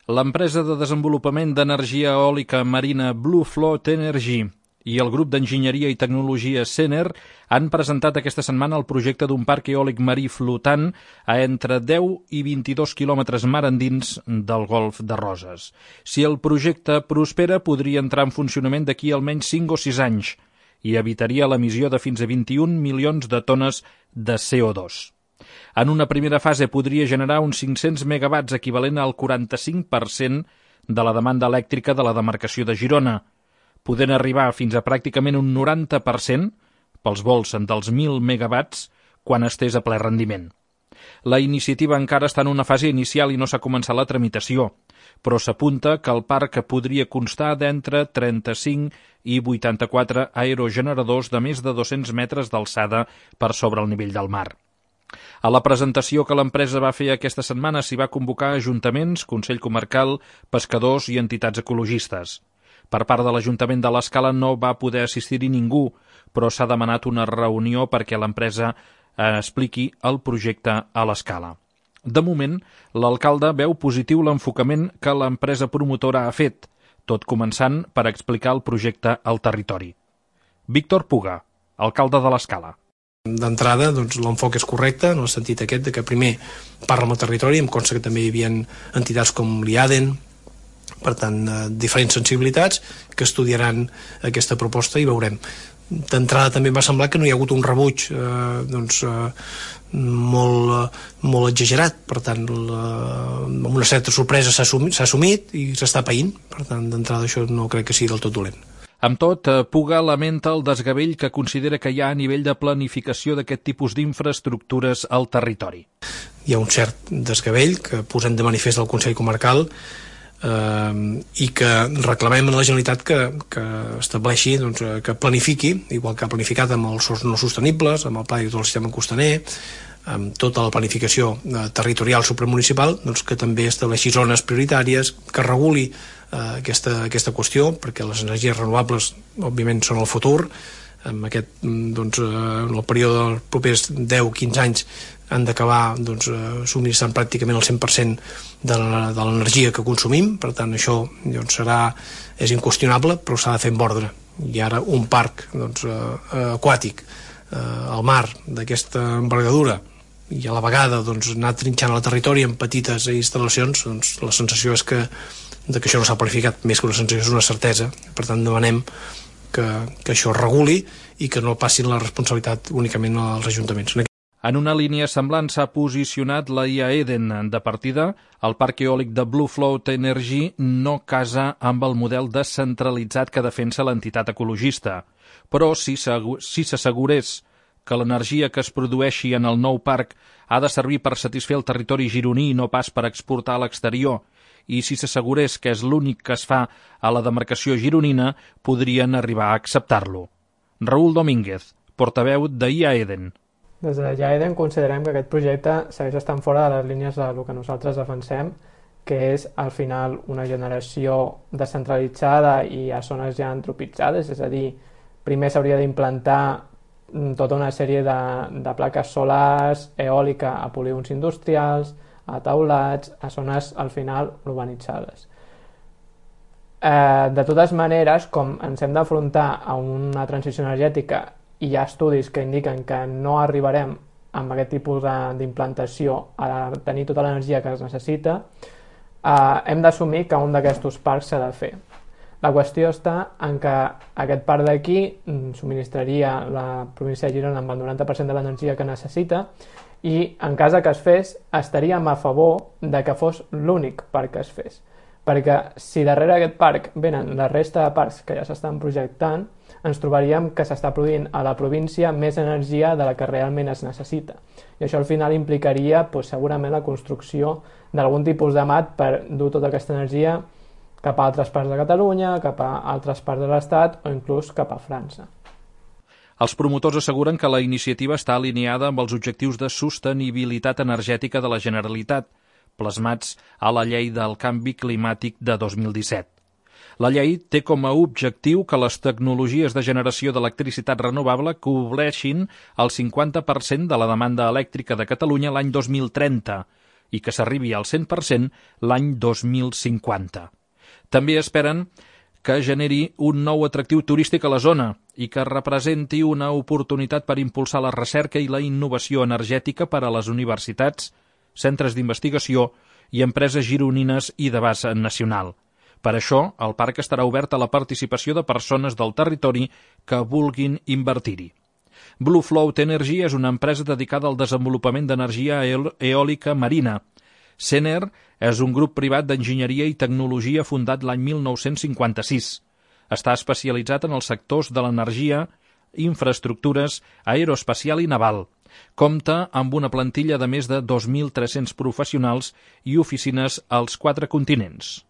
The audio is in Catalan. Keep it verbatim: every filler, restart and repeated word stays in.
L'empresa de desenvolupament d'energia eòlica marina Blue Float Energy i el grup d'enginyeria i tecnologia Sener han presentat aquesta setmana el projecte d'un parc eòlic marí flotant a entre deu i vint-i-dos quilòmetres mar endins del Golf de Roses. Si el projecte prospera, podria entrar en funcionament d'aquí almenys cinc o sis anys i evitaria l'emissió de fins a vint-i-un milions de tones de C O dos. En una primera fase podria generar uns cinc-cents megawatts, equivalent al quaranta-cinc per cent de la demanda elèctrica de la demarcació de Girona, podent arribar fins a pràcticament un noranta per cent pels vols dels mil megawatts quan estés a ple rendiment. La iniciativa encara està en una fase inicial i no s'ha començat la tramitació, però s'apunta que el parc podria constar d'entre trenta-cinc i vuitanta-quatre aerogeneradors de més de dos-cents metres d'alçada per sobre el nivell del mar. A la presentació que l'empresa va fer aquesta setmana s'hi va convocar ajuntaments, Consell Comarcal, pescadors i entitats ecologistes. Per part de l'Ajuntament de l'Escala no va poder assistir-hi ningú, però s'ha demanat una reunió perquè l'empresa expliqui el projecte a l'Escala. De moment, l'alcalde veu positiu l'enfocament que l'empresa promotora ha fet, tot començant per explicar el projecte al territori. Víctor Puga, alcalde de l'Escala. D'entrada, doncs, l'enfoc és correcte, en el sentit aquest de que primer parla amb el territori, em consta que també hi havia entitats com l'I A D E N, per tant, eh, diferents sensibilitats que estudiaran aquesta proposta i veurem. D'entrada també m'ha semblat que no hi ha hagut un rebuig eh, doncs, eh, molt, molt exagerat, per tant, la, amb una certa sorpresa s'ha assumit, s'ha assumit i s'està païnt, per tant, d'entrada això no crec que sigui del tot dolent. Amb tot, Puga lamenta el desgavell que considera que hi ha a nivell de planificació d'aquest tipus d'infraestructures al territori. Hi ha un cert desgavell que posem de manifest del Consell Comarcal eh, i que reclamem a la Generalitat que, que estableixi, doncs, que planifiqui, igual que ha planificat amb els sòls no sostenibles, amb el pla director del sistema costaner, amb tota la planificació eh, territorial supramunicipal, doncs, que també estableixi zones prioritàries, que reguli Uh, aquesta, aquesta qüestió, perquè les energies renovables òbviament són el futur. En aquest, doncs, uh, en el període dels propers deu a quinze anys han d'acabar, doncs, uh, subministrant pràcticament el cent per cent de l'energia que consumim, per tant això, doncs, serà, és inqüestionable, però s'ha de fer amb ordre. I ara un parc, doncs, uh, aquàtic uh, al mar d'aquesta envergadura i a la vegada, doncs, anar trinxant el territori en petites instal·lacions, doncs, la sensació és que de que això no s'ha planificat, més que una sensació és una certesa. Per tant, demanem que, que això es reguli i que no passin la responsabilitat únicament als ajuntaments. En una línia semblant s'ha posicionat la I A D E N. De partida, el parc eòlic de Blue Float Energy no casa amb el model descentralitzat que defensa l'entitat ecologista. Però si s'assegurés que l'energia que es produeixi en el nou parc ha de servir per satisfer el territori gironí i no pas per exportar a l'exterior, i si s'assegurés que és l'únic que es fa a la demarcació gironina, podrien arribar a acceptar-lo. Raúl Domínguez, portaveu de I A D E N. Des de I A D E N considerem que aquest projecte segueix estant fora de les línies del que nosaltres defensem, que és, al final, una generació descentralitzada i a zones ja antropitzades, és a dir, primer s'hauria d'implantar tota una sèrie de, de plaques solars, eòlica a polígons industrials, a taulats, a zones, al final, urbanitzades. Eh, de totes maneres, com ens hem d'afrontar a una transició energètica i hi ha estudis que indiquen que no arribarem amb aquest tipus d'implantació a tenir tota l'energia que es necessita, eh, hem d'assumir que un d'aquests parcs s'ha de fer. La qüestió està en que aquest parc d'aquí subministraria la província de Girona amb el noranta per cent de l'energia que necessita i en cas que es fes estaríem a favor de que fos l'únic parc que es fes, perquè si darrere aquest parc venen la resta de parcs que ja s'estan projectant, ens trobaríem que s'està produint a la província més energia de la que realment es necessita, i això al final implicaria doncs, segurament la construcció d'algun tipus de mat per dur tota aquesta energia cap a altres parts de Catalunya, cap a altres parts de l'Estat o inclús cap a França. Els promotors asseguren que la iniciativa està alineada amb els objectius de sostenibilitat energètica de la Generalitat, plasmats a la Llei del Canvi Climàtic de dos mil disset. La llei té com a objectiu que les tecnologies de generació d'electricitat renovable cobreixin el cinquanta per cent de la demanda elèctrica de Catalunya l'any dos mil trenta, i que s'arribi al cent per cent l'any dos mil cinquanta. També esperen que generi un nou atractiu turístic a la zona i que representi una oportunitat per impulsar la recerca i la innovació energètica per a les universitats, centres d'investigació i empreses gironines i d'abast nacional. Per això, el parc estarà obert a la participació de persones del territori que vulguin invertir-hi. Blue Float Energy és una empresa dedicada al desenvolupament d'energia eòlica marina. Sener és un grup privat d'enginyeria i tecnologia fundat l'any mil nou-cents cinquanta-sis. Està especialitzat en els sectors de l'energia, infraestructures, aeroespacial i naval. Compta amb una plantilla de més de dos mil tres-cents professionals i oficines als quatre continents.